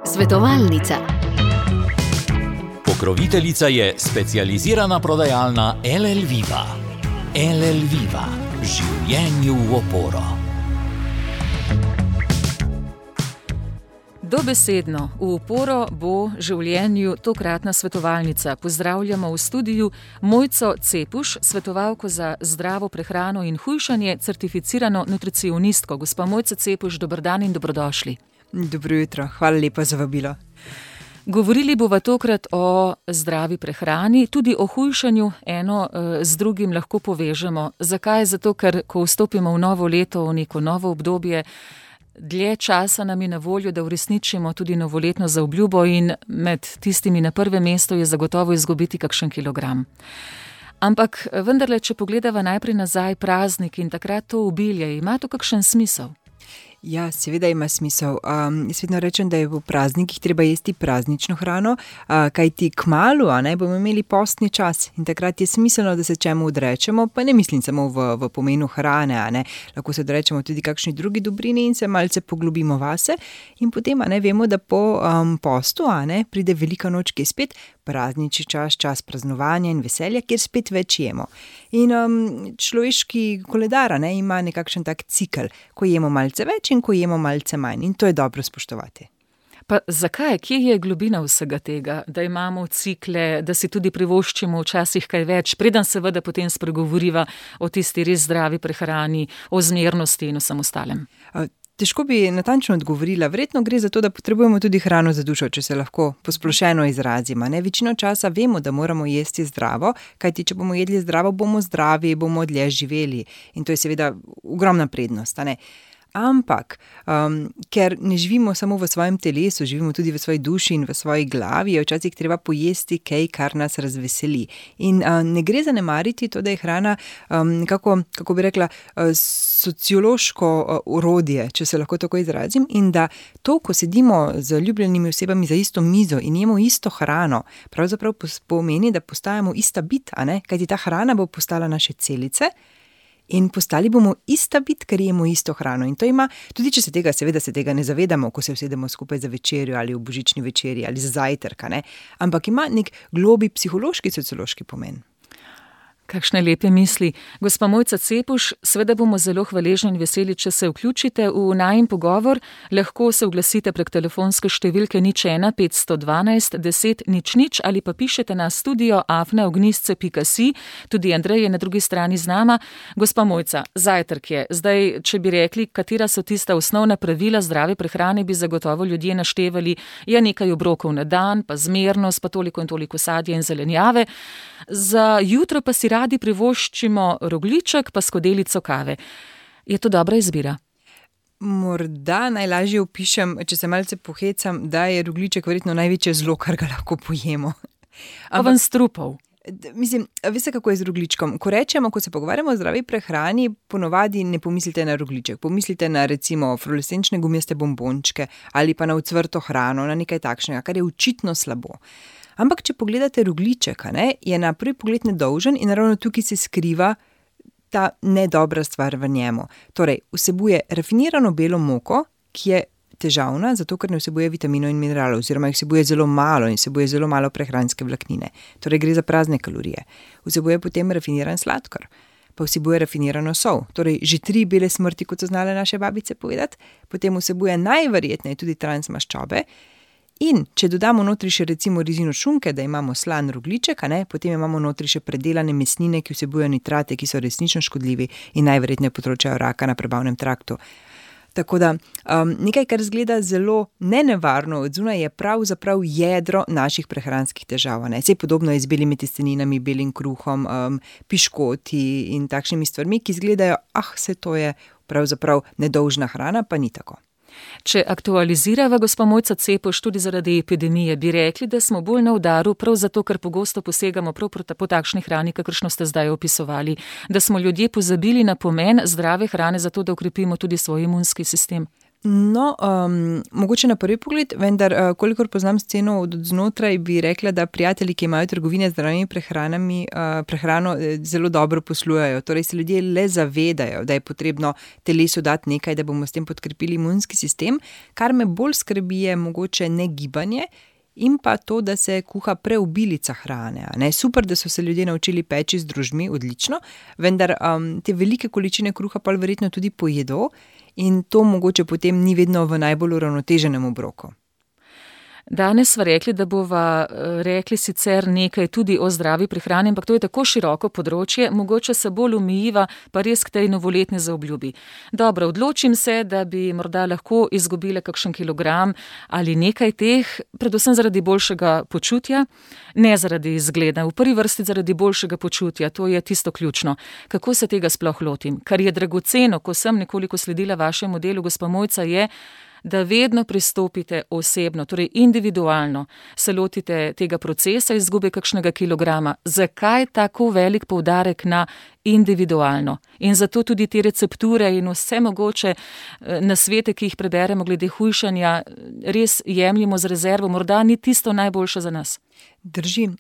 Svetovalnica. Pokroviteljica je specializirana prodajalna LL Viva. LL Viva. Življenju v oporo. Dobesedno v oporo bo življenju tokratna svetovalnica. Pozdravljamo v studiu Mojco Cepuš, svetovalko za zdravo prehrano in hujšanje, certificirano nutricionistko. Gospa Mojca Cepuš, dober dan in dobrodošli. Dobro jutro, hvala lepa za vabilo. Govorili bova tokrat o zdravi prehrani, tudi o hujšanju, eno z drugim lahko povežemo. Zakaj? Zato, ker ko vstopimo v novo leto, v neko novo obdobje, dlje časa nam je na voljo, da uresničimo tudi novoletno zaobljubo in med tistimi na prvem mestu je zagotovo izgubiti kakšen kilogram. Ampak vendarle, če pogledava najprej nazaj praznik in takrat to obilje, ima to kakšen smisel? Ja, seveda ima smisel. Jaz vedno rečem, da je v praznikih treba jesti praznično hrano, kajti kmalu bomo imeli postni čas in takrat je smiselno, da se čemu odrečemo, pa ne mislim samo v pomenu hrane, lahko se odrečemo tudi kakšni drugi dobrini in se malce poglobimo vase in potem vemo, da po postu pride velika noč, ki je spet praznični čas praznovanja in veselja, kjer spet več jemo. In človeški koledar ima nekakšen tak cikel, ko jemo malce več in ko jemo malce manj. In to je dobro spoštovati. Pa zakaj? Kje je globina vsega tega, da imamo cikle, da si tudi privoščimo včasih kaj več, preden seveda potem spregovoriva o tisti res zdravi prehrani, o zmernosti in o samostalem? Težko bi natančno odgovorila. Verjetno gre za to, da potrebujemo tudi hrano za dušo, če se lahko posplošeno izrazimo. Večino časa vemo, da moramo jesti zdravo, kajti če bomo jedli zdravo, bomo zdravi, bomo dlje živeli. In to je seveda ogromna prednost. Ampak, ker ne živimo samo v svojem telesu, živimo tudi v svoji duši in v svoji glavi, je včasih treba pojesti kaj, kar nas razveseli. In ne gre zanemariti to, da je hrana kako bi rekla, sociološko orodje, če se lahko tako izrazim, in da to, ko sedimo z ljubljenimi osebami za isto mizo in jemo isto hrano, pravzaprav pomeni, da postajamo ista bit, kajti ta hrana bo postala naše celice, in postali bomo ista bit, ker jemo isto hrano. In to ima, tudi če se tega ne zavedamo, ko se usedemo skupaj za večerjo ali v božični večerji ali za zajtrk, ampak ima nek globi psihološki, sociološki pomen. Kakšne lepe misli. Gospa Mojca Cepuš, seveda bomo zelo hvaležni in veseli, če se vključite v najin pogovor. Lahko se oglasite prek telefonske številke 01 512 10 00 ali pa pišete na studio@ognistce.si. Tudi Andrej je na drugi strani z nama. Gospa Mojca, zajtrk je. Zdaj, če bi rekli, katera so tista osnovna pravila zdrave prehrane, bi zagotovo ljudje naštevali, je nekaj obrokov na dan, pa zmernost, pa toliko in toliko sadja in zelenjave. Za jutro pa si radi privoščimo rogljiček pa skodelico kave. Je to dobra izbira? Morda najlažje opišem, če se malce pohecam, da je rogljiček verjetno največje zlo, kar ga lahko pojemo. Ven strupov. Mislim, veste, kako je z rogljičkom? Ko se pogovarjamo o zdravi prehrani, ponovadi ne pomislite na rogljiček. Pomislite na recimo fluorescenčne gumijaste bombončke ali pa na ocvrto hrano, na nekaj takšnega, kar je očitno slabo. Ampak, če pogledate rogljiček, je na prvi pogled nedolžen in ravno tukaj se skriva ta nedobra stvar v njemu. Torej, vsebuje rafinirano belo moko, ki je težavna, zato ker ne vsebuje vitaminov in mineralov, oziroma jih vsebuje zelo malo in vsebuje zelo malo prehranske vlaknine. Torej, gre za prazne kalorije. Vsebuje potem rafiniran sladkor, pa vsebuje rafinirano sol. Torej, že 3 bele smrti, kot so znale naše babice povedati, potem vsebuje najverjetneje tudi transmaščobe. In če dodamo notri še recimo rezino šunke, da imamo slan rogljiček, potem imamo notri še predelane mesnine, ki vsebujejo nitrate, ki so resnično škodljivi in najverjetneje povzročajo raka na prebavnem traktu. Tako da nekaj, kar zgleda zelo nenevarno od zunaj, je pravzaprav jedro naših prehranskih težav. Saj podobno je z belimi testeninami, belim kruhom, piškoti in takšnimi stvarmi, ki zgledajo, saj to je pravzaprav nedolžna hrana, pa ni tako. Če aktualizirava, gospa Mojca Cepuš, tudi zaradi epidemije, bi rekli, da smo bolj na udaru, prav zato, ker pogosto posegamo prav po takšni hrani, kakršno ste zdaj opisovali, da smo ljudje pozabili na pomen zdrave hrane, zato da okrepimo tudi svoj imunski sistem. No, mogoče na prvi pogled, vendar, kolikor poznam sceno od znotraj, bi rekla, da prijatelji, ki imajo trgovine z zdravimi prehrano, zelo dobro poslujejo. Torej se ljudje le zavedajo, da je potrebno telesu dati nekaj, da bomo s tem podkrepili imunski sistem. Kar me bolj skrbi, je mogoče ne gibanje in pa to, da se kuha preobilica hrane. Super, da so se ljudje naučili peči z drožmi, odlično, vendar te velike količine kruha pa verjetno tudi pojedo. In to mogoče potem ni vedno v najbolj uravnoteženem obroku. Danes sva rekli, da bova rekli sicer nekaj tudi o zdravi prehrani, ampak to je tako široko področje, mogoče se bolj omejiva pa res k tej novoletni zaobljubi. Dobro, odločim se, da bi morda lahko izgubila kakšen kilogram ali nekaj teh, predvsem zaradi boljšega počutja, ne zaradi izgleda, v prvi vrsti zaradi boljšega počutja, to je tisto ključno. Kako se tega sploh lotim? Kar je dragoceno, ko sem nekoliko sledila vašemu delu, gospa Mojca, je, da vedno pristopite osebno, torej individualno, se lotite tega procesa izgube kakšnega kilograma. Zakaj tako velik poudarek na individualno? In zato tudi te recepture in vse mogoče nasvete, ki jih preberemo glede hujšanja, res jemljimo z rezervo, morda ni tisto najboljše za nas. Drži.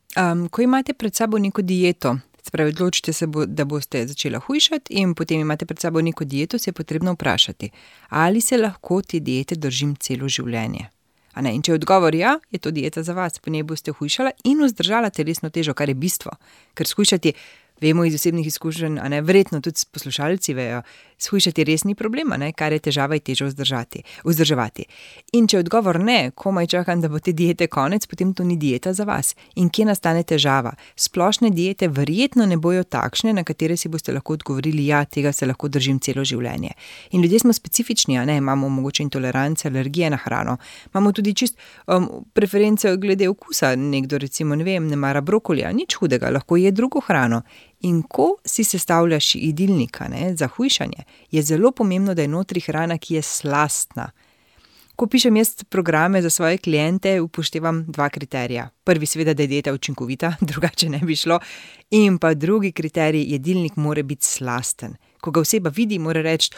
Ko imate pred sabo neko dieto, spravi, odločite se, da boste začela hujšati in potem imate pred sabo neko dieto, se je potrebno vprašati, ali se lahko te diete držim celo življenje. In če je odgovor ja, je to dieta za vas, po njej boste hujšala in vzdržala telesno težo, kar je bistvo. Ker shujšati, vemo iz osebnih izkušenj, verjetno tudi poslušalci vejo, shujšati res ni problema, kar je težava, je težo vzdrževati. In če je odgovor ne, komaj čakam, da bo te diete konec, potem to ni dieta za vas. In kje nastane težava? Splošne diete verjetno ne bojo takšne, na katere si boste lahko odgovorili, ja, tega se lahko držim celo življenje. In ljudje smo specifični, imamo mogoče intolerance, alergije na hrano, imamo tudi čist preference glede okusa, nekdo recimo, ne mara brokolija, nič hudega, lahko je drugo hrano. In ko si sestavljaš jedilnika za hujšanje, je zelo pomembno, da je notri hrana, ki je slastna. Ko pišem jaz programe za svoje kliente, upoštevam 2 kriterija. Prvi seveda, da je dieta učinkovita, drugače ne bi šlo. In pa drugi kriterij, jedilnik mora biti slasten. Ko ga oseba vidi, mora reči,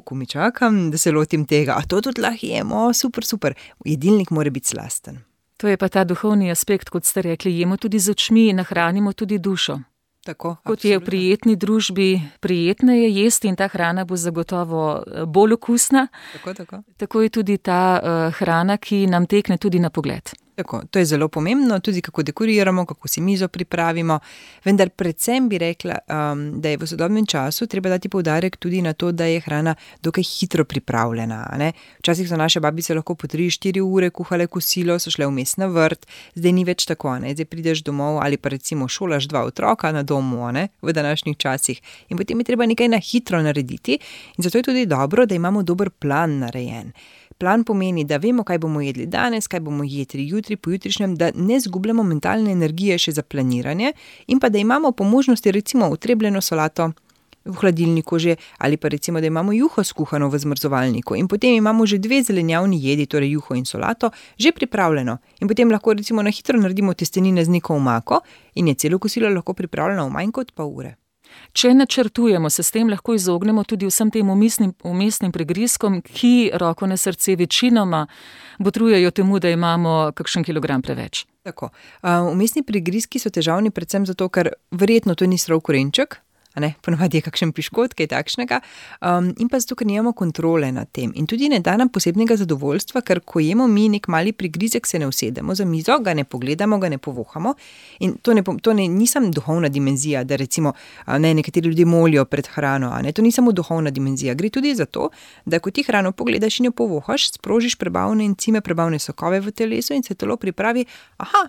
ko mi čakam, da se lotim tega, a to tudi lahko jemo, super. Jedilnik mora biti slasten. To je pa ta duhovni aspekt, kot ste rekli, jemo tudi z očmi, nahranimo tudi dušo. Tako, kot je v prijetni družbi prijetno je jesti in ta hrana bo zagotovo bolj okusna. Tako je tudi ta hrana, ki nam tekne tudi na pogled. Tako, to je zelo pomembno, tudi kako dekoriramo, kako si mizo pripravimo, vendar predvsem bi rekla, da je v sodobnem času treba dati poudarek tudi na to, da je hrana dokaj hitro pripravljena. Včasih so naše babice lahko po 3-4 ure kuhale kosilo, so šle vmes na vrt, zdaj ni več tako, zdaj prideš domov ali pa recimo šolaš 2 otroka na domu, v današnjih časih in potem je treba nekaj na hitro narediti in zato je tudi dobro, da imamo dober plan narejen. Plan pomeni, da vemo, kaj bomo jedli danes, kaj bomo jedli jutri, pojutrišnjem, da ne zgubljamo mentalne energije še za planiranje in pa da imamo po možnosti recimo utrebljeno solato v hladilniku že ali pa recimo, da imamo juho skuhano v zmrzovalniku in potem imamo že 2 zelenjavni jedi, torej juho in solato, že pripravljeno in potem lahko recimo na hitro naredimo testenine z neko omako in je celo kosilo lahko pripravljeno v manj kot pol ure. Če načrtujemo, se s tem lahko izognemo tudi vsem tem umestnim prigrizkom, ki roko na srce večinoma botrujejo temu, da imamo kakšen kilogram preveč. Tako. Umestni prigrizki so težavni predvsem zato, ker verjetno to ni srov korenček, ponavadi je kakšen piškot, kaj takšnega, in pa zato, ker nimamo kontrole nad tem. In tudi ne da nam posebnega zadovoljstva, ker ko jemo mi nek mali prigrizek, se ne usedemo za mizo, ga ne pogledamo, ga ne povohamo. In to ni samo duhovna dimenzija, da recimo nekateri ljudje molijo pred hrano, to ni samo duhovna dimenzija. Gre tudi za to, da ko ti hrano pogledaš in jo povohaš, sprožiš prebavne encime, prebavne sokove v telesu in se telo pripravi,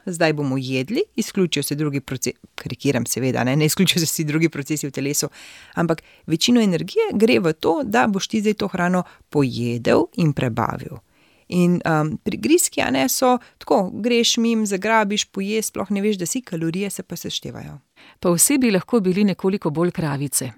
zdaj bomo jedli, izključijo se drugi procesi, karikiram seveda, ne izključijo se vsi drugi procesi v telesu, ampak večino energije gre v to, da boš ti zdaj to hrano pojedel in prebavil. In prigrizki, so tako, greš mim, zagrabiš, poješ, sploh ne veš, da si, kalorije se pa seštevajo. Pa vsi bi lahko bili nekoliko bolj kravice,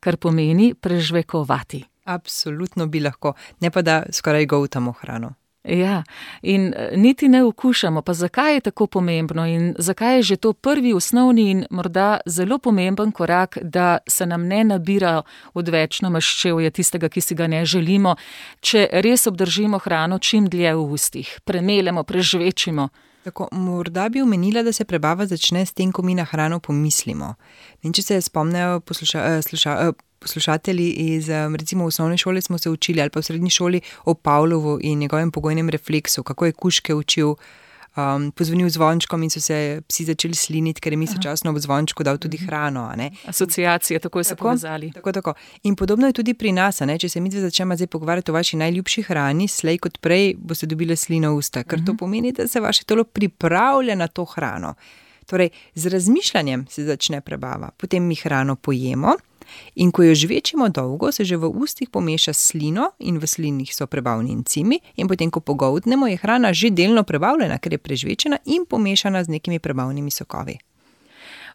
kar pomeni prežvekovati. Absolutno bi lahko, ne pa da skoraj goltamo hrano. Ja, in niti ne okušamo, pa zakaj je tako pomembno in zakaj je že to prvi, osnovni in morda zelo pomemben korak, da se nam ne nabira odvečno maščevje tistega, ki si ga ne želimo, če res obdržimo hrano čim dlje v ustih, premelemo, prežvečimo. Tako, morda bi omenila, da se prebava začne s tem, ko mi na hrano pomislimo. In če se spomnejo poslušatelji iz, recimo v osnovne šole smo se učili ali pa v srednji šoli o Pavlovu in njegovem pogojnem refleksu, kako je kužke učil, pozvonil zvončkom in so se psi začeli sliniti, ker je istočasno ob zvončku dal tudi hrano. A ne? Asociacije, takoj so povezali. Tako. In podobno je tudi pri nas, a ne? Če se midve začnemo zdaj pogovarjati o vaši najljubši hrani, slej kot prej boste dobile slino v usta, ker to pomeni, da se vaše telo pripravlja na to hrano. Torej, z razmišljanjem se začne prebava, potem mi hrano pojemo. In ko jo žvečimo dolgo, se že v ustih pomeša slino in v slinih so prebavni encimi in potem, ko pogoltnemo, je hrana že delno prebavljena, ker je prežvečena in pomešana z nekimi prebavnimi sokovi.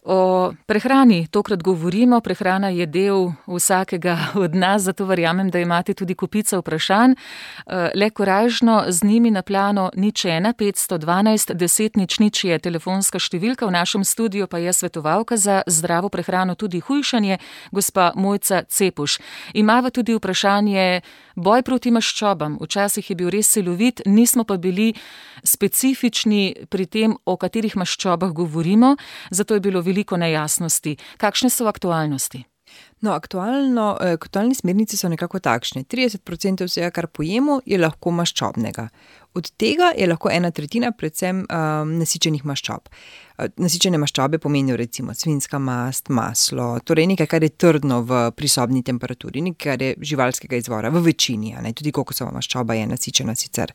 O prehrani tokrat govorimo, prehrana je del vsakega od nas, zato verjamem, da imate tudi kopico vprašanj. Le korajžno z njimi na plano 01 512 10 00 je telefonska številka, v našem studiu pa je svetovalka za zdravo prehrano, tudi hujšanje, gospa Mojca Cepuš. Imava tudi vprašanje boj proti maščobam. Včasih je bil res silovit, nismo pa bili specifični pri tem, o katerih maščobah govorimo, zato je bilo veliko nejasnosti. Kakšne so aktualnosti? No, aktualne smernice so nekako takšne. 30% vsega, kar pojemo, je lahko maščobnega. Od tega je lahko 1/3 predvsem nasičenih maščob. Nasičene maščobe pomenijo recimo svinjska mast, maslo, torej nekaj, kar je trdno v prisobni temperaturi, nekaj, kar je živalskega izvora, v večini, a ne, tudi kokosova maščoba je nasičena sicer.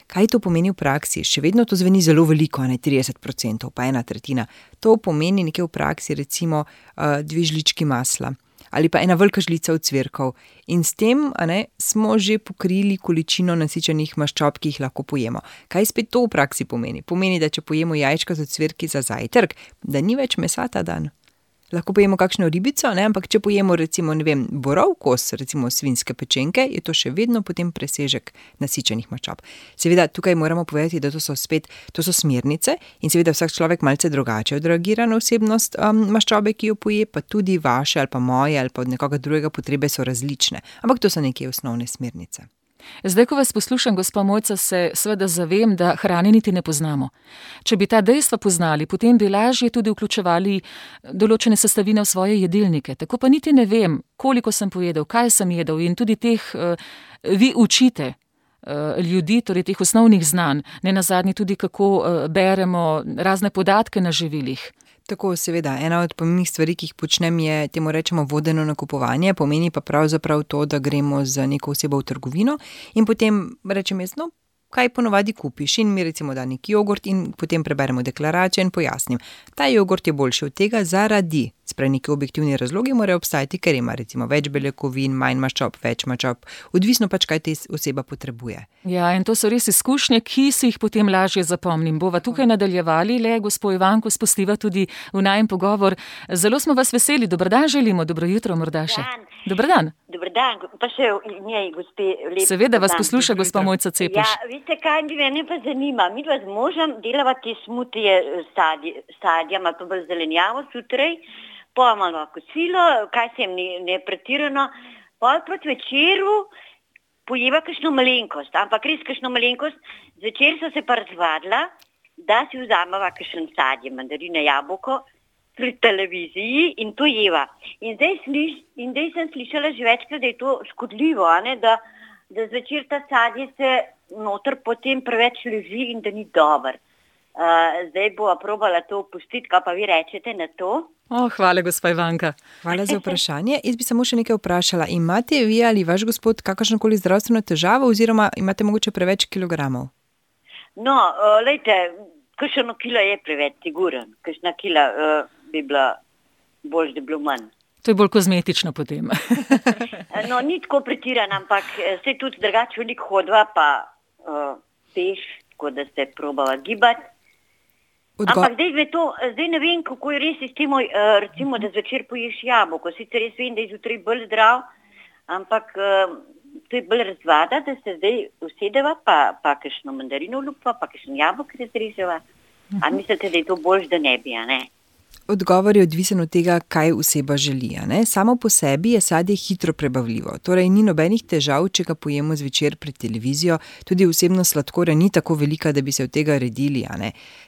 Kaj to pomeni v praksi? Še vedno to zveni zelo veliko, a ne 30%, pa 1/3. To pomeni nekaj v praksi, recimo 2 žlički masla ali pa 1 velika žlica ocvirkov. In s tem, a ne, smo že pokrili količino nasičenih maščob, ki jih lahko pojemo. Kaj spet to v praksi pomeni? Pomeni, da če pojemo jajčka z ocvirki za zajtrk, da ni več mesa ta dan. Lahko pojemo kakšno ribico, ne? Ampak če pojemo recimo, ne vem, borov kos, recimo svinjske pečenke, je to še vedno potem presežek nasičenih maščob. Seveda tukaj moramo povedati, da to so smernice in seveda vsak človek malce drugače odreagira na osebnost maščobe, ki jo poje, pa tudi vaše ali pa moje ali pa od nekoga drugega potrebe so različne. Ampak to so neke osnovne smernice. Zdaj, ko vas poslušam, gospa Mojca, se seveda zavem, da hrane niti ne poznamo. Če bi ta dejstva poznali, potem bi lažje tudi vključevali določene sestavine v svoje jedilnike. Tako pa niti ne vem, koliko sem pojedel, kaj sem jedel in tudi teh vi učite ljudi, torej teh osnovnih znanj, ne nazadnje tudi kako beremo razne podatke na živilih. Tako, seveda, ena od pomembnih stvari, ki jih počnem, je temu rečemo vodeno nakupovanje, pomeni pa pravzaprav to, da gremo z neko osebo v trgovino in potem rečem jaz, no, kaj ponovadi kupiš in mi recimo da neki jogurt in potem preberemo deklaracijo in pojasnim. Ta jogurt je boljši od tega zaradi, sprej neki objektivni razlogi morajo obstajati, ker ima recimo več beljakovin, manj maščob, več maščob, odvisno pač, kaj te oseba potrebuje. Ja, in to so res izkušnje, ki si jih potem lažje zapomnim. Bova tukaj nadaljevali, le gospo Ivanko spustiva tudi v najin pogovor. Zelo smo vas veseli, dober dan želimo, dobro jutro morda še. Dober dan. Dober dan, pa še njej, gospe, lep. Seveda vas posluša gospa Mojca Cepuš. Ja, veste kaj, mene pa zanima, mi dva z možem delava te smutije sadja, malo pa bolj zelenjavo zjutraj, pa malo kosilo, kaj se jim ne pretirano, pa proti večeru pojeva kakšno malenkost, ampak res kakšno malenkost, zvečer so se pa razvadila, da si vzameva kakšen sadje, mandarine, jabolko, pri televiziji in to jeva. In zdaj sem slišala že večkrat, da je to škodljivo, a ne, da zvečer ta sadje se noter potem preveč leži in da ni dober. Zdaj bova probala to opustiti, kaj pa vi rečete na to? Hvala, gospa Ivanka. Hvala za vprašanje. Jaz bi samo še nekaj vprašala. Imate vi ali vaš gospod kakršnokoli zdravstveno težavo oziroma imate mogoče preveč kilogramov? No, lejte, kakšno kilo je preveč, siguren. Kakšna kila bi bila bolj, da bi bilo manj. To je bolj kozmetično potem. No, ni tako pretiran, ampak se tudi drugače veliko hodva, pa peš, tako da se probava gibati. Ampak zdaj ne vem, kako je res s tem, recimo, da zvečer poješ jabolko. Sicer res vem, da je zjutraj bolj zdrav, ampak to je bolj razvada, da se zdaj usedeva, pa kakšno mandarino lupa, pa kakšno jabolko razreževa. A mislite, da je to boljš, da ne bi, a ne? Odgovor je odvisen od tega, kaj oseba želi. Samo po sebi je sadje hitro prebavljivo, torej ni nobenih težav, če ga pojemo zvečer pred televizijo, tudi vsebnost sladkorja ni tako velika, da bi se od tega redili.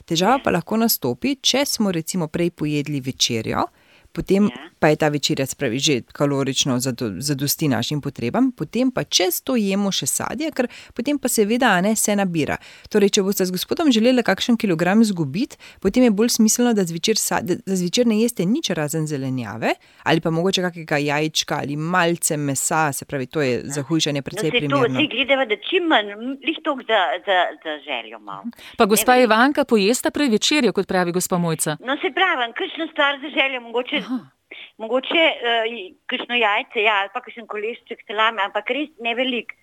Težava pa lahko nastopi, če smo recimo prej pojedli večerjo, potem pa je ta večerja, spravi, že kalorično zadosti našim potrebam, potem pa čez to jemo še sadje, ker potem pa seveda se nabira. Torej, če boste z gospodom želeli kakšen kilogram zgubiti, potem je bolj smiselno, da zvečer ne jeste nič razen zelenjave, ali pa mogoče kakega jajčka ali malce mesa, se pravi, to je za hujšanje precej primerno. No, se to vsi gledava, da čim manj, lih toliko za željo malo. Pa gospa Ivanka pojesta prej večerjo, kot pravi gospa Mojca. No, se pravi, kakšno stvar za željo, mogoče kakšno jajce, ali pa kakšen kolešček salame, ampak res ne velik.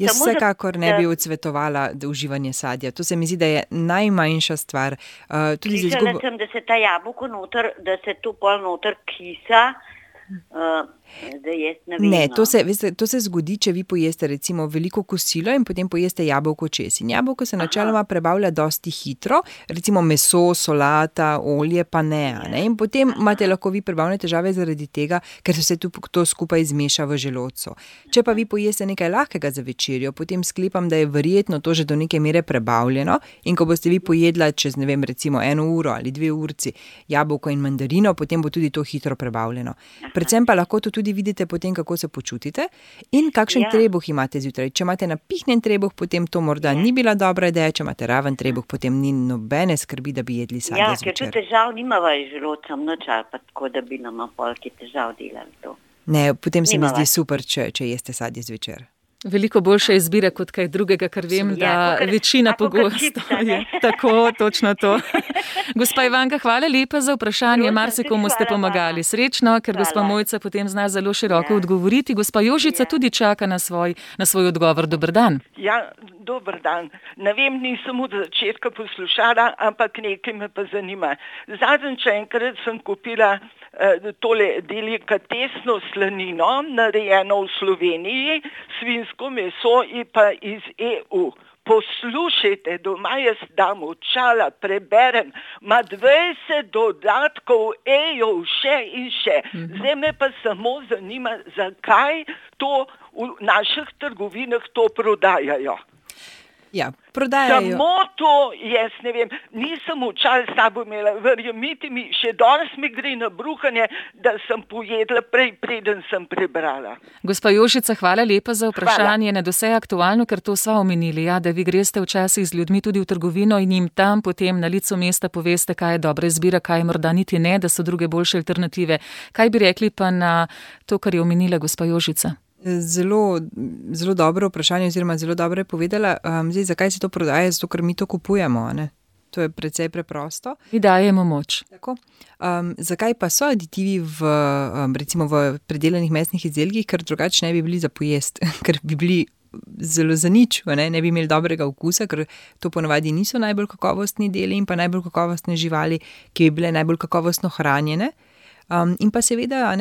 Jaz vsekakor ne bi odsvetovala uživanje sadja. To se mi zdi, da je najmanjša stvar. Slišala sem, da se ta jabolko noter, da se to pol noter kisa. Da jaz ne vem. Ne, to se zgodi, če vi pojeste recimo veliko kosilo in potem pojeste jabolko čez. In jabolko se načeloma prebavlja dosti hitro, recimo meso, solata, olje pa ne. In potem imate lahko vi prebavne težave zaradi tega, ker se to skupaj zmeša v želodcu. Če pa vi pojeste nekaj lahkega za večerjo, potem sklepam, da je verjetno to že do neke mere prebavljeno in ko boste vi pojedla čez, ne vem, recimo 1 uro ali 2 urci jabolko in mandarino, potem bo tudi to hitro prebavljeno. Predvsem pa lahko to tudi vidite potem, kako se počutite in kakšen trebuh imate zjutraj. Če imate napihnjen trebuh, potem to morda ni bila dobra ideja, če imate raven trebuh, potem ni nobene skrbi, da bi jedli sadje zvečer. Ker tu težav nimava z želodcem noč ali pa tako, da bi nama polki težav delali to. Ne, potem se mi zdi super, če jeste sadje zvečer. Veliko boljša izbira kot kaj drugega, kar vem, da večina pogosto je. Tako, točno to. Gospa Ivanka, hvala lepa za vprašanje. Marsikomu ste pomagali. Srečno, ker gospa Mojca potem zna zelo široko odgovoriti. Gospa Jožica tudi čaka na svoj odgovor. Dober dan. Ja, dober dan. Ne vem, nisem od začetka poslušala, ampak nekaj me pa zanima. Zadnjič enkrat sem kupila tole delikatesno slanino, narejeno v Sloveniji, svinjsko meso in pa iz EU. Poslušajte, doma jaz dam očala, preberem, ima 20 dodatkov, še in še. Zdaj me pa samo zanima, zakaj to v naših trgovinah to prodajajo. Ja, prodajajo. Samo to, jaz ne vem, nisem očal s sabo imela, verjemite mi, še danes mi gre na bruhanje, da sem pojedla preden sem prebrala. Gospa Jožica, hvala lepa za vprašanje. Nadvse aktualno, ker to sva omenili, da vi greste včasih z ljudmi tudi v trgovino in jim tam potem na licu mesta poveste, kaj je dobra izbira, kaj morda niti ne, da so druge boljše alternative. Kaj bi rekli pa na to, kar je omenila gospa Jožica? Zelo dobro vprašanje oziroma zelo dobro je povedala. Zdaj, zakaj se to prodaja? Zato, ker mi to kupujemo, ne? To je precej preprosto. Mi dajemo moč. Tako. Zakaj pa so aditivi recimo v predelanih mesnih izdelkih, ker drugače ne bi bili za pojest, ker bi bili zelo za nič, ne bi imeli dobrega okusa, ker to ponavadi niso najbolj kakovostni deli in pa najbolj kakovostne živali, ki bi bile najbolj kakovostno hranjene. In pa seveda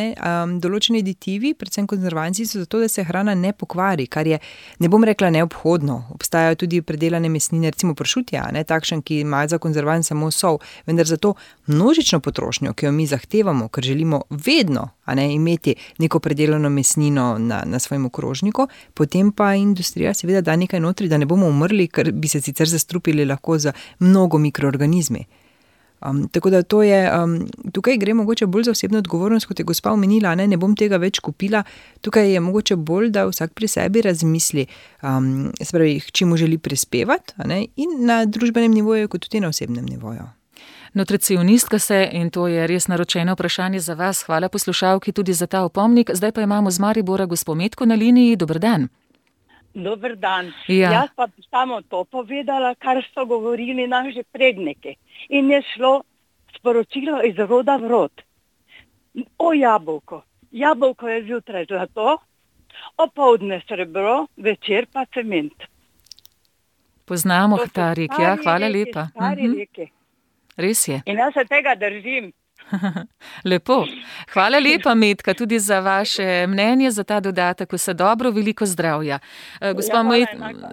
določeni aditivi, predvsem konzervanci, so zato, da se hrana ne pokvari, kar je, ne bom rekla neobhodno. Obstajajo tudi predelane mesnine, recimo pršutja, takšen, ki ima za konzervan samo sol, vendar zato množično potrošnjo, ki jo mi zahtevamo, ker želimo vedno imeti neko predelano mesnino na svojem okrožniku, potem pa industrija seveda da nekaj notri, da ne bomo umrli, ker bi se sicer zastrupili lahko za mnogo mikroorganizmi. Tako da to je, tukaj gre mogoče bolj za osebno odgovornost, kot je gospa omenila, ne bom tega več kupila. Tukaj je mogoče bolj, da vsak pri sebi razmisli, čemu želi prispevati, in na družbenem nivoju, kot tudi na osebnem nivoju. Nutricionistka se, in to je res naročeno vprašanje za vas. Hvala poslušalki tudi za ta opomnik. Zdaj pa imamo z Maribora gospo Metko na liniji. Dober dan. Dober dan. Ja. Jaz pa bi samo to povedala, kar so govorili naši predniki. In je šlo sporočilo iz roda v rod. O jabolko. Jabolko je zjutraj zlato, opoldne srebro, večer pa cement. Poznamo ta rek, ja, hvala lepa. Stari reki. Res je. In jaz se tega držim. Lepo. Hvala lepa, Metka, tudi za vaše mnenje, za ta dodatek. Vse dobro, veliko zdravja. Gospa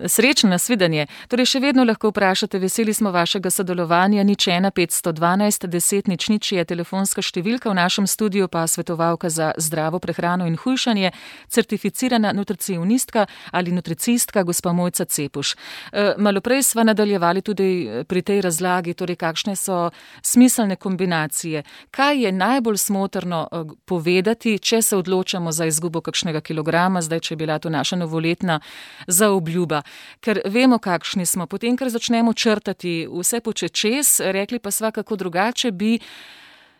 srečno, nasvidenje. Torej, še vedno lahko vprašate, veseli smo vašega sodelovanja. 01 512 10 00 je telefonska številka, v našem studiu pa svetovalka za zdravo prehrano in hujšanje, certificirana nutricionistka ali nutricistka, gospa Mojca Cepuš. Malo prej sva nadaljevali tudi pri tej razlagi, torej kakšne so smiselne kombinacije. Kaj je najbolj smotrno povedati, če se odločamo za izgubo kakšnega kilograma, zdaj, če je bila to naša novoletna zaobljuba? Ker vemo, kakšni smo. Potem, ker začnemo črtati vse počečez, rekli pa sva, kako drugače bi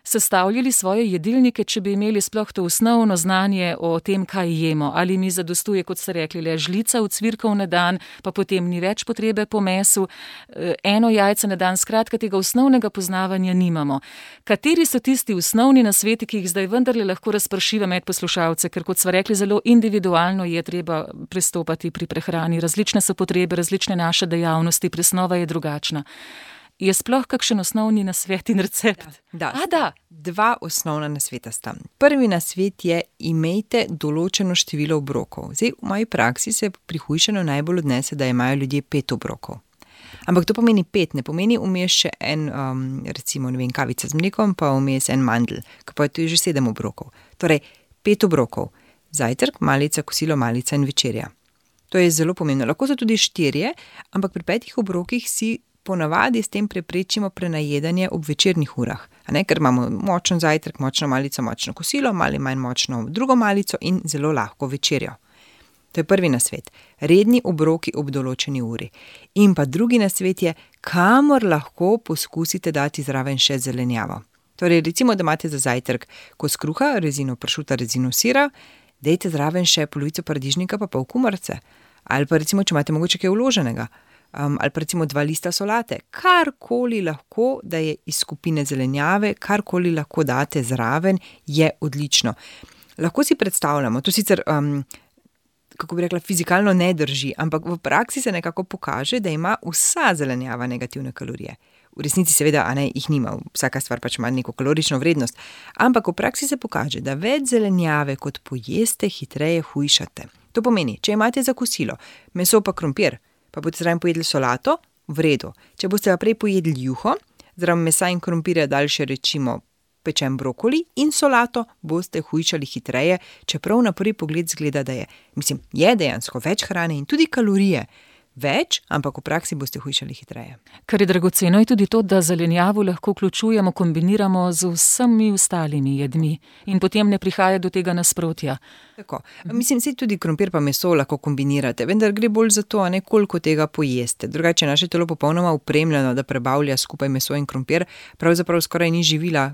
sestavljali svoje jedilnike, če bi imeli sploh to osnovno znanje o tem, kaj jemo. Ali mi zadostuje, kot ste rekli, le žlica v cvirkov na dan, pa potem ni več potrebe po mesu, eno jajce na dan, skratka tega osnovnega poznavanja nimamo. Kateri so tisti osnovni nasveti, ki jih zdaj vendarle lahko razpršiva med poslušalce, ker kot sva rekli, zelo individualno je treba pristopati pri prehrani. Različne so potrebe, različne naše dejavnosti, presnova je drugačna. Je sploh kakšen osnovni nasvet in recept? Da. Dva osnovna nasveta sta. Prvi nasvet je, imejte določeno število obrokov. Zdaj, v moji praksi se pri hujšanju najbolj odnese, da imajo ljudje 5 obrokov. Ampak to pomeni 5, ne pomeni vmes še en, recimo, ne vem, kavica z mlekom, pa vmes en mandl, pa je to že 7 obrokov. Torej, 5 obrokov. Zajtrk, malica, kosilo, malica in večerja. To je zelo pomembno. Lahko so tudi 4, ampak pri 5 obrokih si ponavadi s tem preprečimo prenajedanje ob večernih urah, ker imamo močen zajtrk, močno malico, močno kosilo, malo manj močno drugo malico in zelo lahko večerjo. To je prvi nasvet. Redni obroki ob določeni uri. In pa drugi nasvet je, kamor lahko poskusite dati zraven še zelenjavo. Torej, recimo, da imate za zajtrk kos kruha, rezino pršuta, rezino sira, dajte zraven še polovico paradižnika pa pol kumarice. Ali pa recimo, če imate mogoče kaj vloženega. Ali pa recimo 2 lista solate, karkoli lahko, da je iz skupine zelenjave, karkoli lahko date zraven, je odlično. Lahko si predstavljamo, to sicer, kako bi rekla, fizikalno ne drži, ampak v praksi se nekako pokaže, da ima vsa zelenjava negativne kalorije. V resnici seveda, jih nima, vsaka stvar pač ima neko kalorično vrednost, ampak v praksi se pokaže, da več zelenjave kot pojeste, hitreje hujšate. To pomeni, če imate za kosilo meso pa krompir, pa boste zraven pojedli solato, v redu. Če boste pa prej pojedli juho, zraven mesa in krompirja dali še rečimo pečen brokoli in solato, boste hujšali hitreje, čeprav na prvi pogled zgleda, da je dejansko več hrane in tudi kalorije več, ampak v praksi boste hujšali hitreje. Kar je dragoceno, je tudi to, da zelenjavo lahko vključujemo, kombiniramo z vsemi ostalimi jedmi in potem ne prihaja do tega nasprotja. Tako. Saj tudi krompir pa meso lahko kombinirate, vendar gre bolj za to, koliko tega pojeste. Drugače je naše telo popolnoma upremljeno, da prebavlja skupaj meso in krompir, pravzaprav skoraj ni živila.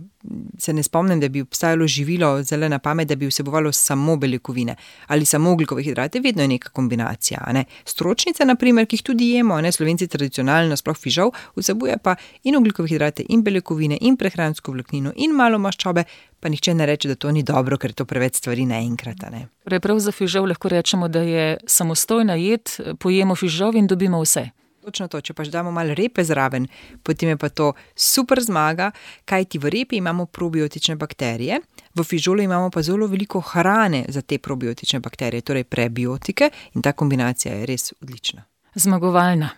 Se ne spomnim, da bi obstajalo živilo zelo na pamet, da bi vsebovalo samo beljakovine ali samo ogljikove hidrate, vedno je neka kombinacija. Stročnice, na primer, ki jih tudi jemo, Slovenci tradicionalno, sploh fižol, vsebuje pa in ogljikove hidrate, in beljakovine, in prehransko vlaknino, in malo maščobe, pa nihče ne reče, da to ni dobro, ker je to preveč stvari naenkrat. Prav za fižol lahko rečemo, da je samostojna jed, pojemo fižol in dobimo vse. Točno to, če pač damo malo repe zraven, potem je pa to super zmaga, kajti v repi imamo probiotične bakterije, v fižolu imamo pa zelo veliko hrane za te probiotične bakterije, torej prebiotike, in ta kombinacija je res odlična. Zmagovalna.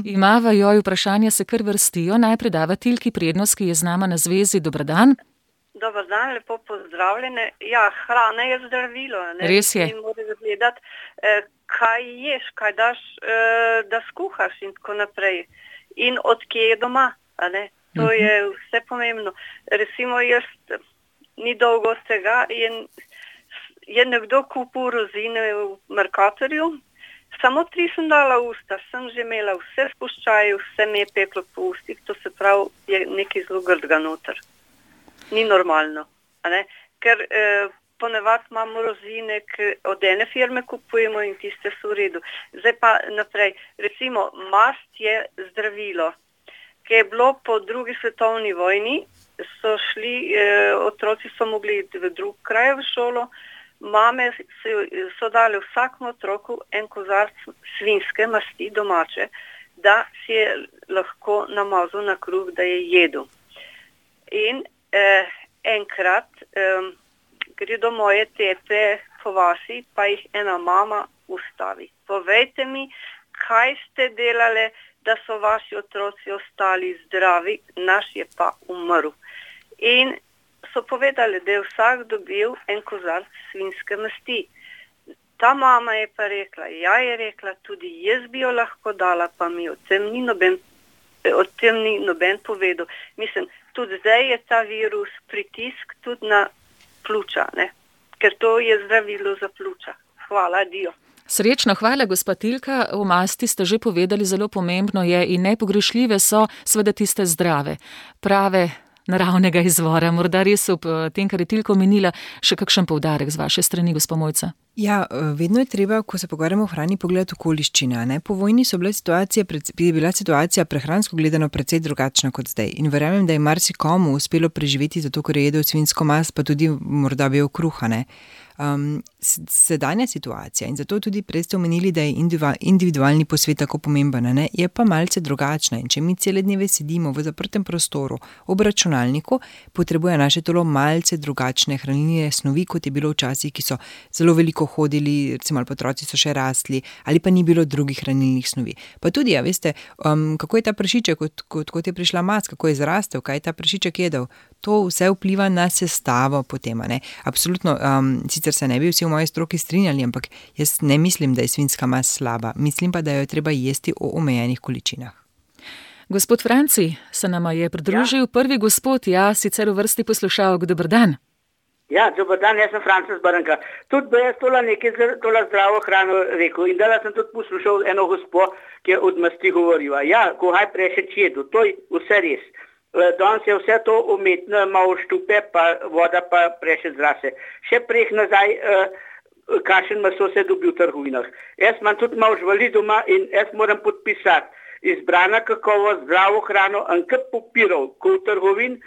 Imava joj vprašanja, se kar vrstijo. Najprej davateljki prednost, ki je z nama na zvezi. Dober dan. Dober dan, lepo pozdravljene. Ja, hrana je zdravilo. Res je. In moraš gledati, kaj ješ, kaj daš, da skuhaš in tako naprej. In od kje je doma, To je vse pomembno. Recimo, jaz ni dolgo z tega in je nekdo kupil rozine v Mercatorju. Samo 3 sem dala v usta, sem že imela vse spuščaje, vse mi je peklo po ustih, to se pravi, je nekaj zelo grdega noter. Ni normalno, ker ponavadi imamo rozine, od ene firme kupujemo in tiste so v redu. Zdaj pa naprej, recimo mast je zdravilo, ki je bilo po 2. svetovni vojni, so šli, otroci so mogli iti v drug kraj v šolo, mame so dali vsakmu otroku en kozarc svinjske masti domače, da si je lahko namazal na kruh, da je jedel. In enkrat gredo moje tete po vasi, pa jih ena mama ustavi. Povejte mi, kaj ste delali, da so vaši otroci ostali zdravi, naš je pa umrl. In so povedali, da je vsak dobil en kozarc svinjske masti. Ta mama je pa rekla, je rekla, tudi jaz bi jo lahko dala, pa mi o tem ni noben povedal. Mislim, tudi zdaj je ta virus pritisk tudi na pljuča, ne? Ker to je zdravilo za pljuča. Hvala, dio. Srečno, hvala, gospa Tilka. O masti ste že povedali, zelo pomembno je in nepogrešljive so seveda tiste zdrave, prave, naravnega izvora. Morda res ob tem, kar je Tilka omenila, še kakšen poudarek z vaše strani, gospa Mojca? Ja, vedno je treba, ko se pogovarjamo o hrani, pogledati okoliščine. Ne? Po vojni je bila situacija prehransko gledano precej drugačna kot zdaj. In verjamem, da je marsikomu uspelo preživeti zato, ker je jedel svinjsko mast, pa tudi morda bil kruha. Ne? Sedanja situacija, in zato tudi prej ste omenili, da je individualni posvet tako pomemben, ne? Je pa malce drugačna. In če mi cele dneve sedimo v zaprtem prostoru ob računalniku, potrebuje naše telo malce drugačne hranilne snovi, kot je bilo včasih, ki so zelo veliko hodili, recimo ali otroci so še rastli, ali pa ni bilo drugih hranilnih snovi. Pa tudi, ja, veste, kako je ta prašiček, kot je prišla mast, kako je zrastel, kaj je ta prašiček jedel. To vse vpliva na sestavo potem, ne? Absolutno, sicer se ne bi vsi v moji stroki strinjali, ampak jaz ne mislim, da je svinjska mast slaba. Mislim pa, da jo treba jesti v omejenih količinah. Gospod Franci se nama je pridružil, prvi gospod, sicer v vrsti poslušalk. Dober dan. Ja, dober dan, jaz sem Francis Brnka. Tudi bi jaz tola zdravo hrano rekel in da sem tudi poslušal eno gospo, ki je od masti govorila. Ja, ko haj prešeč jedu, to je vse res. Danes je vse to umetno, malo štupe, pa voda pa prešeč zrase. Še preh nazaj, kakšen meso se dobi v trgovinah. Jaz imam tudi malo živali doma in jaz moram podpisati izbrana kakovost, zdravo hrano, enkrat papirov, ko v trgovin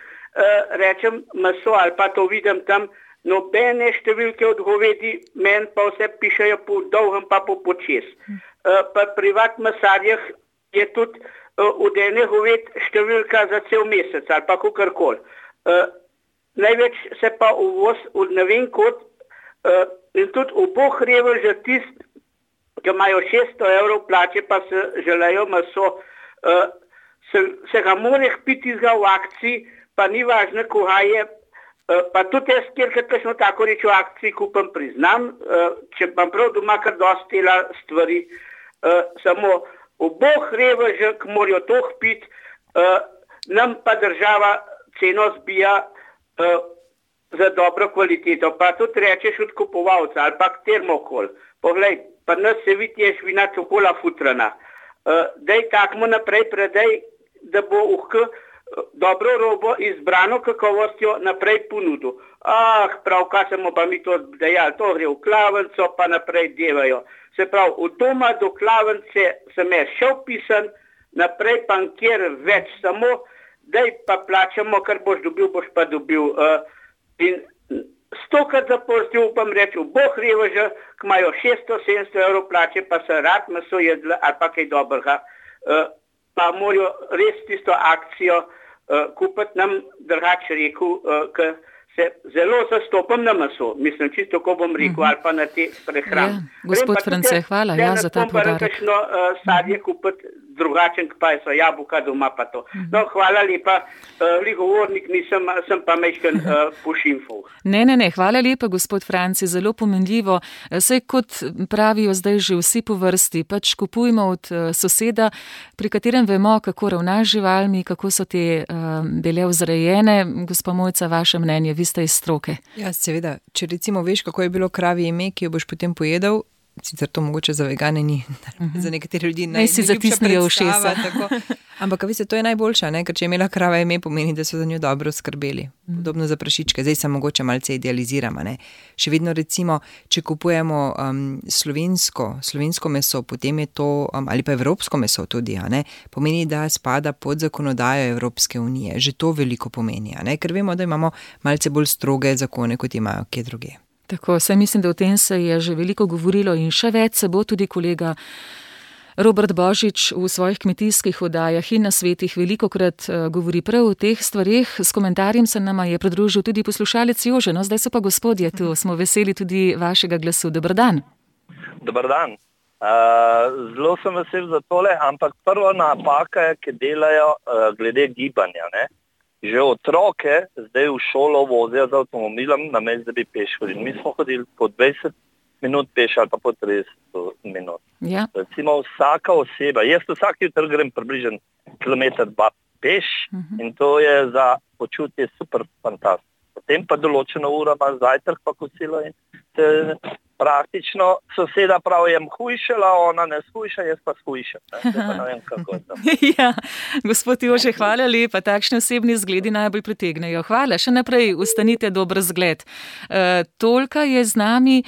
rečem meso ali pa to vidim tam, nobene številke od govedi, meni pa vse pišejo po dolgem pa po počes. Pa privat mesarjah je tudi od ene goved številka za cel mesec ali pa kakorkoli. Največ se pa uvoz od ne vem kot in tudi oboh reveža tist, ki imajo 600 € plače pa se želejo meso, se ga more piti v akciji, pa ni važno, koga je, pa tudi jaz, kjerkrat kakšno tako reč v akciji kupam, priznam, če pa prav doma kar dosti tela stvari, samo oboh reveža, ki morajo toh piti, nam pa država ceno zbija za dobro kvaliteto, pa tudi rečeš od kupovalca ali pa termokol. Poglej, pa nas se vidi je žvina čokola futrana. Daj takmo naprej predaj, da bo dobro robo izbrano kakovostjo naprej ponudil. Prav, kaj smo pa mi to dejali, to gre v klavnico, pa naprej devajo. Se pravi, od doma do klavnice sem jaz šel pisan, naprej pa nikjer več, samo daj pa plačamo, kar boš pa dobil. In stokrat zaporstil, upam reči, v boh reveža, ki imajo 600-700 € plače, pa se rad meso jedla ali pa kaj dobrega, pa morajo res tisto akcijo kupiti nam, drugače rekel, ker se zelo zastopam na meso. Mislim, čisto ko bom rekel, ali pa na te prehrane. Ja, gospod France, hvala za ta podarek. Kakšno sadje kupiti drugačen, pa so jabolka doma pa to. No, hvala lepa, govornik nisem, sem pa mečken pošimfov. Ne, hvala lepa, gospod Franci, zelo pomenljivo. Saj kot pravijo zdaj že vsi po vrsti, pač kupujmo od soseda, pri katerem vemo, kako ravna z živalmi, kako so te bile vzrejene. Gospa Mojca, vaše mnenje, vi ste iz stroke. Ja, seveda, če recimo veš, kako je bilo kravje ime, ki jo boš potem pojedel, sicer to mogoče za vegane ni, za nekatere ljudi najljubša predstava. Ampak veste, to je najboljša, ne? Ker če je imela krava ime, pomeni, da so za njo dobro skrbeli. Podobno za prašičke, zdaj se mogoče malce idealiziramo. Ne? Še vedno recimo, če kupujemo slovensko meso, potem je to, ali pa evropsko meso tudi, ne? Pomeni, da spada pod zakonodajo Evropske unije. Že to veliko pomeni, ne? Ker vemo, da imamo malce bolj stroge zakone, kot imajo kje druge. Tako, saj mislim, da o tem se je že veliko govorilo in še več se bo. Tudi kolega Robert Božič v svojih kmetijskih oddajah in nasvetih velikokrat govori prav o teh stvareh. S komentarjem se nama je pridružil tudi poslušalec Jože. No, zdaj so pa gospodje tu, smo veseli tudi vašega glasu. Dober dan. Dober dan. Zelo sem vesel za tole, ampak prva napaka je, ki delajo glede gibanja. Ne? Že otroke zdaj v šolo vozijo z avtomobilom, namesto da bi peš hodili. Mi smo hodili po 20 minut peš ali pa po 30 minut. Ja. Recimo vsaka oseba, jaz vsak jutr grem približno kilometer 2 peš in to je za počutje super fantastično. Potem pa določeno uro ima zajtrk pa kosilo in se praktično soseda pravi, jem hujšala, ona ne shujša, jaz pa shujšam. Ne vem, kako je to. Ja, gospod Jože, hvala lepa, takšni osebni zgledi najbolj pritegnejo. Hvala, še naprej ustanite dober zgled. Tolka je z nami,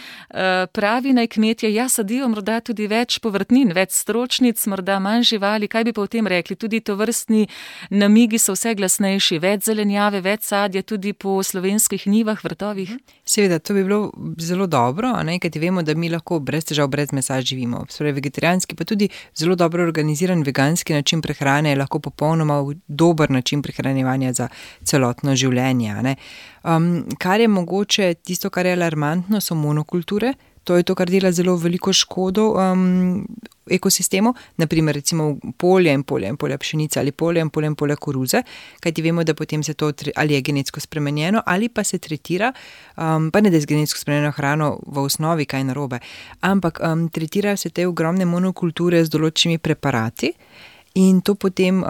pravi naj kmetje, ja, sadijo morda tudi več povrtnin, več stročnic, morda manj živali, kaj bi pa o tem rekli? Tudi tovrstni namigi so vse glasnejši, več zelenjave, več sadja tudi po slovenskih njivah, vrtovih. Seveda, to bi bilo zelo dobro, ne? Kajti vemo, da mi lahko brez težav, brez mesa živimo. Torej, vegetarijanski pa tudi zelo dobro organiziran veganski način prehrane je lahko popolnoma dober način prehranjevanja za celotno življenje. Ne? Kar je mogoče, tisto, kar je alarmantno, so monokulture. To je to, kar dela zelo veliko škodo ekosistemu, naprimer recimo polje in polja pšenice ali polje in polja koruze, kajti vemo, da potem se to ali je genetsko spremenjeno ali pa se tretira, pa ne da je z genetsko spremenjeno hrano v osnovi kaj narobe, ampak tretirajo se te ogromne monokulture z določenimi preparati. In to potem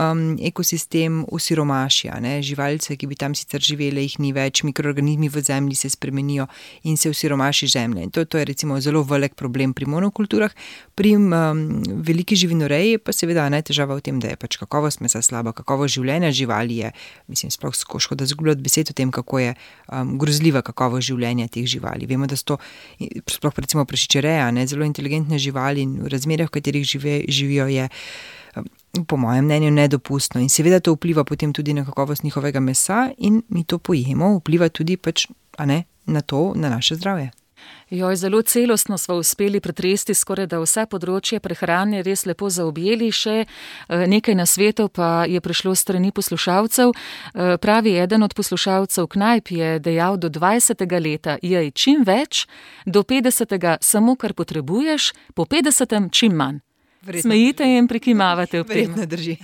ekosistem osiromaši, ne? Živalice, ki bi tam sicer živele, jih ni več, mikroorganizmi v zemlji se spremenijo in se osiromaši zemlja. In to je recimo zelo velik problem pri monokulturah. Pri veliki živinoreji pa seveda težava v tem, da je pač kakovost mesa slaba, kakovost življenja živali je, mislim, sploh škoda zgubljati besed o tem, kako je grozljiva kakovost življenja teh živali. Vemo, da so to, sploh recimo prašičereja, zelo inteligentne živali in v razmerah, v katerih živijo, je po mojem mnenju nedopustno in seveda to vpliva potem tudi na kakovost njihovega mesa in mi to pojemo, vpliva tudi pač, na to, na naše zdravje. Joj, zelo celostno smo uspeli pretresti skoraj da vse področje prehrane, res lepo zaobjeli, še nekaj nasvetov pa je prišlo strani poslušalcev. Pravi eden od poslušalcev knajp je dejal, do 20. leta jej čim več, do 50. samo kar potrebuješ, po 50. čim manj. Smejite in prikimavate ob tem. Verjetno drži.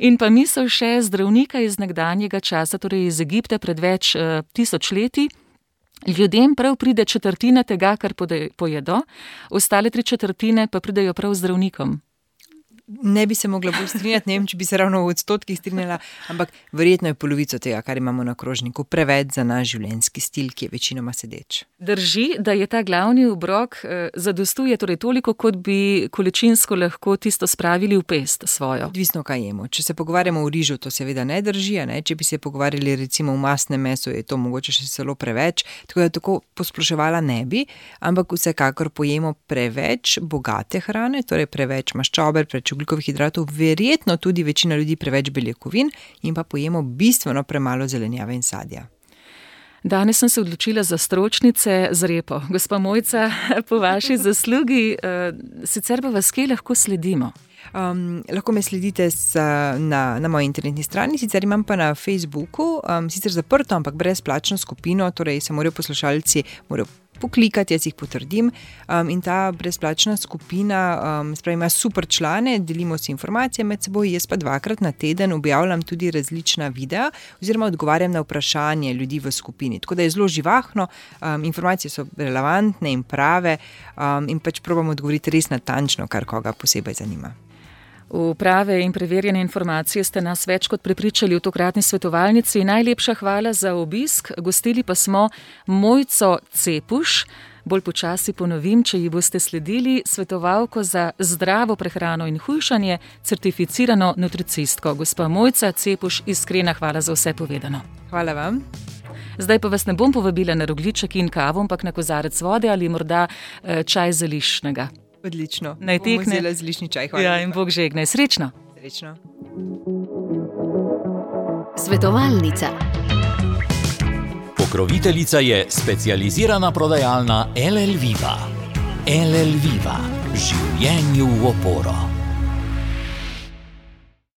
In pa misel še zdravnika iz nekdanjega časa, torej iz Egipta pred več 1000 leti. Ljudem prav pride 1/4 tega, kar pojedo, ostale 3/4 pa pridejo prav zdravnikom. Ne bi se mogla bolj strinjati, ne vem, če bi se ravno v odstotkih strinjala, ampak verjetno je polovico tega, kar imamo na krožniku, preveč za naš življenjski stil, ki je večinoma sedeč. Drži, da je ta glavni obrok zadostuje torej toliko, kot bi količinsko lahko tisto spravili v pest svojo. Odvisno, kaj jemo. Če se pogovarjamo o rižu, to seveda ne drži, ne? Če bi se pogovarjali recimo o masnem mesu, je to mogoče še celo preveč, tako da tako posploševala ne bi, ampak vsekakor pojemo preveč bogate hrane, torej preveč maščobe, preveč ogljikovih hidratov, verjetno tudi večina ljudi preveč beljakovin in pa pojemo bistveno premalo zelenjave in sadja. Danes sem se odločila za stročnice z repo. Gospa Mojca, po vaši zaslugi, sicer pa vas kje lahko sledimo? Lahko me sledite na moji internetni strani, sicer imam pa na Facebooku, sicer zaprto, ampak brezplačno skupino, torej se morajo poslušalci poklikati, jaz jih potrdim, in ta brezplačna skupina ima super člane, delimo si informacije med seboj, jaz pa 2-krat na teden objavljam tudi različna videa oziroma odgovarjam na vprašanje ljudi v skupini, tako da je zelo živahno, informacije so relevantne in prave in pač probam odgovoriti res natančno, kar koga posebej zanima. V prave in preverjene informacije ste nas več kot prepričali v tokratni svetovalnici. Najlepša hvala za obisk. Gostili pa smo Mojco Cepuš, bolj počasi ponovim, če ji boste sledili, svetovalko za zdravo prehrano in hujšanje, certificirano nutricistko. Gospa Mojca Cepuš, iskrena hvala za vse povedano. Hvala vam. Zdaj pa vas ne bom povabila na rogljiček in kavo, ampak na kozarec vode ali morda čaj zeliščnega. Odlično. Naj tekne. Bomo vzela zeliščni čaj. Hvala. Ja, in Bog žegne. Srečno. Srečno. Svetovalnica. Pokroviteljica je specializirana prodajalna LL Viva. LL Viva, življenju v oporo.